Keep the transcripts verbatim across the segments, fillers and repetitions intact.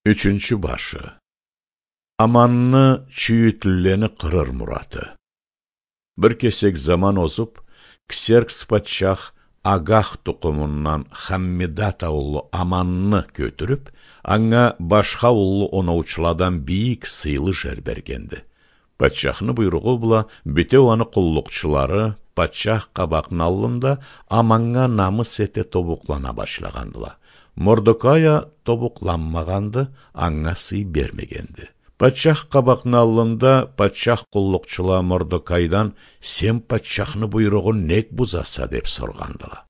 Ючюнчю башы. Аманны чюйютлюлени къырыр мураты. Бир кесек заман озуб, Ксеркс патчах Агах тукъумундан Хаммидата уллу Аманны кётюрюб, анга башха уллу оноучуладан бийик сыйлы жер бергенди. Патчахны буйругъу бла бютеу аны къуллукъчулары патчах къабакъны аллында Аманнга намыс эте тобукълана башлагъандыла. Мордокай а тобукъланмагъанды, анга сый бермегенди. Патчах къабакъны аллында патчах къуллукъчула Мордокайдан: «Сен патчахны буйругъун нек бузаса?» — деб соргъандыла.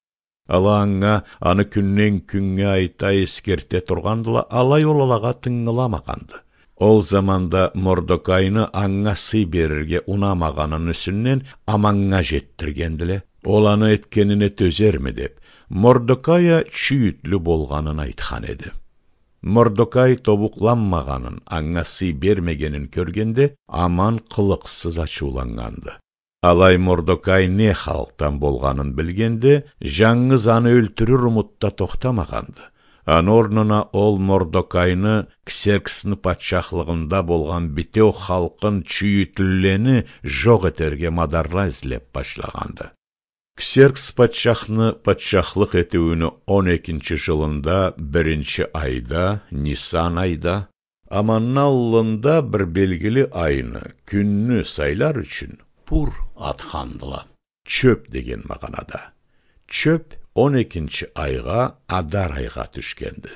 Ала анга аны кюнден-кюннге айта, эсгерте тургъандыла, алай ол алагъа тынгыламагъанды. Ол заманда Мордокайны анга сый берирге унамагъанын юсюнден Аманнга жетдиргендиле. Ол аны этгенине тёзерми деб, Мордокай а чюйютлю болгъанын айтхан эди. Мордокай тобукъланмагъанын, анга сый бермегенин кёргенде, Аман къылыкъсыз ачыуланнганды. Алай Мордокай не халкъдан болгъанын билгенде, жангыз аны ёлтюрюр умутда тохтамагъанды. Аны орнуна ол Мордокайны Ксерксни патчахлыгъында болгъан бютеу халкъын, чюйютлюлени жокъ этерге мадарла излеб башлагъанды. Ксеркс патчахны патчахлыкъ этиуюню он экинчи жылында, биринчи айда, Нисан айда, Аманны аллында бир белгили айны, кюнню сайлар ючюн Пур атхандыла. Чёб деген магъанада. Чёб он экинчи айгъа, Адар айгъа тюшгенди.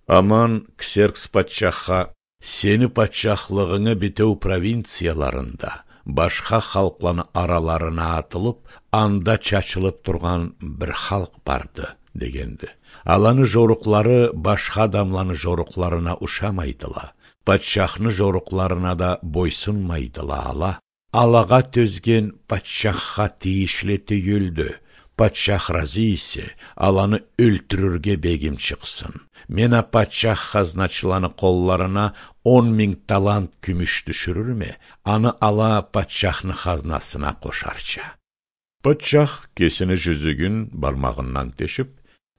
Аман Ксеркс патчахха: «Сени патчахлыгъынгы бютеу провинцияларында, башха халкъланы араларына атылыб, анда чачылыб тургъан бир халкъ барды», — дегенди. «Аланы жорукълары башха адамланы жорукъларына ушамайдыла, патчахны жорукъларына да бойсунмайдыла ала. Алагъа тёзген патчахха тийишли тюйюлдю. Патчах разы эсе, аланы ёлтюрюрге бегим чыкъсын. Мен а патчах хазначыланы къолларына он минг талант кюмюш тюшюрюрме, аны ала патчахны хазнасына къошарча». Патчах кесини жюзюгюн бармагъындан тешиб,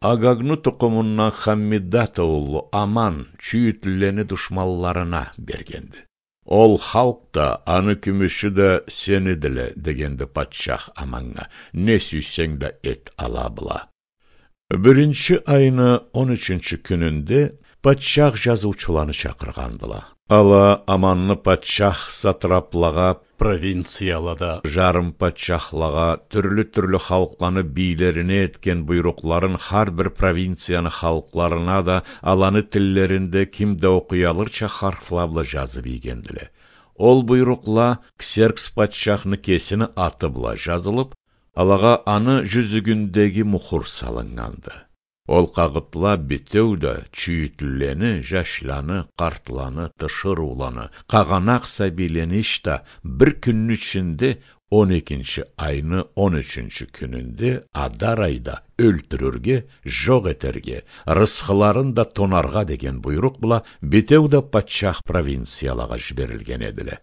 Агагны тукъумундан Хаммидата уллу Аман чюйютлюлени душманларына бергенди. «Ол халкъ да, аны кюмюшю да сенидиле», — дегенди патчах Аманнга. «Не сюйсенг да эт ала бла». Биринчи айны он ючюнчю кюнюнде патчах жазыучуланы чакъыргъандыла. Ала Аманны патчах сатраплагъа, провинциялада жарым патчахлагъа, тюрлю-тюрлю халкъланы бийлерине этген буйрукъларын хар бир провинцияны халкъларына да аланы тиллеринде ким да окъуялырча харфла бла жазыб ийгендиле. Ол буйрукъла Ксеркс патчахны кесини аты бла жазылыб, алагъа аны жюзюгюндеги мухур салыннганды. Ол къагъытла бютеу да чюйютлюлени, жашланы, къартланы, тиширыуланы, къагъанакъ сабийлени ишта бир кюнню ичинде, он экинчи айны он ючюнчю кюнюнде, Адар айда, ёлтюрюрге, жокъ этерге, рысхыларын да тонаргъа деген буйрукъ бла бютеу да патчах провинциялагъа жиберилген эдиле.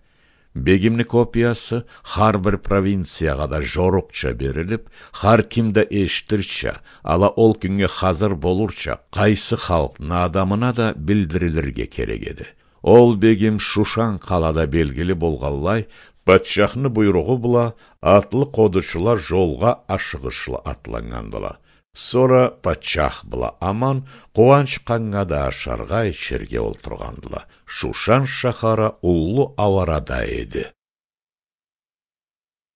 Бегимни копиясы хар бир провинциягъа да жорукъча берилиб, хар ким да эшитирча, ала ол кюннге хазыр болурча, къайсы халкъны адамына да билдирилирге керек эди. Ол бегим Шушан къалада белгили болгъанлай, патчахны буйругъу бла атлы къодучула жолгъа ашыгъышлы атланнгандыла. Сора патчах бла Аман къууанч къаннга да ашаргъа, ичерге олтургъандыла. Шушан шахары уллу ауарада эди.